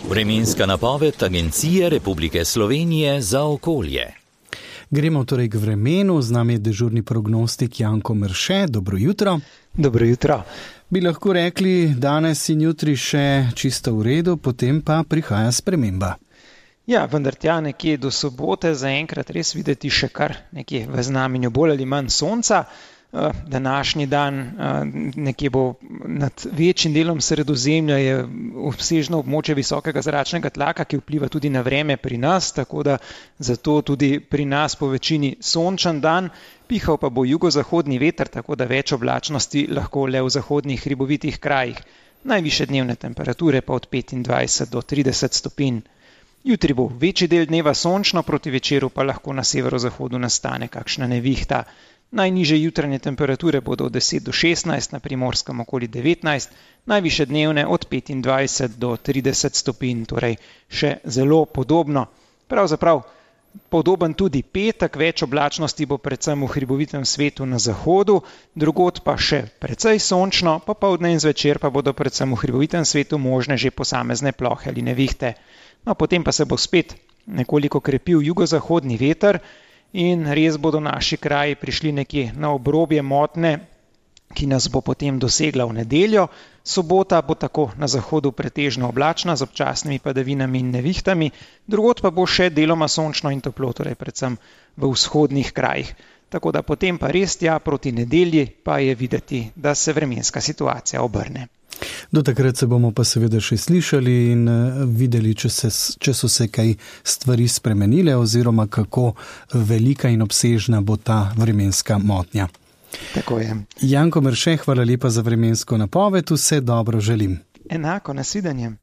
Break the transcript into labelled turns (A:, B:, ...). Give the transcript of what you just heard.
A: Vremenska napoved Agencije Republike Slovenije za okolje.
B: Gremo torej k vremenu, z nami je dežurni prognostik Janko Merše. Dobro jutro.
C: Dobro jutro.
B: Bi lahko rekli, danes in jutri še čisto v redu, potem pa prihaja sprememba.
C: Ja, vendar tja nekje do sobote zaenkrat res videti še kar nekje v znamenju bolj ali manj sonca. Današnji dan nekje bo nad večjim delom Sredozemlja je obsežno območje visokega zračnega tlaka, ki vpliva tudi na vreme pri nas, tako da zato tudi pri nas po večini sončen dan. Pihal pa bo jugozahodni veter, tako da več oblačnosti lahko le v zahodnih hribovitih krajih. Najvišje dnevne temperature pa od 25 do 30 stopinj. Jutri bo večji del dneva sončno, proti večeru pa lahko na severozahodu nastane kakšna nevihta. Najnižje jutranje temperature bodo od 10 do 16, na Primorskem okoli 19, najvišje dnevne od 25 do 30 stopinj, torej še zelo podobno. Pravzaprav podoben tudi petek, več oblačnosti bo predvsem v hribovitem svetu na zahodu, drugod pa še precej sončno, popoldne in zvečer pa bodo predvsem v hribovitem svetu možne že posamezne plohe ali nevihte. No, potem pa se bo spet nekoliko krepil jugozahodni veter, in res bodo naši kraji prišli nekje na obrobje motne, ki nas bo potem dosegla v nedeljo. Sobota bo tako na zahodu pretežno oblačna z občasnimi padavinami in nevihtami, drugod pa bo še deloma sončno in toplo, torej predvsem v vzhodnih krajih. Tako da potem pa res tja proti nedelji pa je videti, da se vremenska situacija obrne.
B: Do takrat se bomo pa seveda še slišali in videli, če so se kaj stvari spremenile oziroma kako velika in obsežna bo ta vremenska motnja.
C: Tako je.
B: Janko Merše, hvala lepa za vremensko napoved, vse dobro želim.
C: Enako, nasvidenje.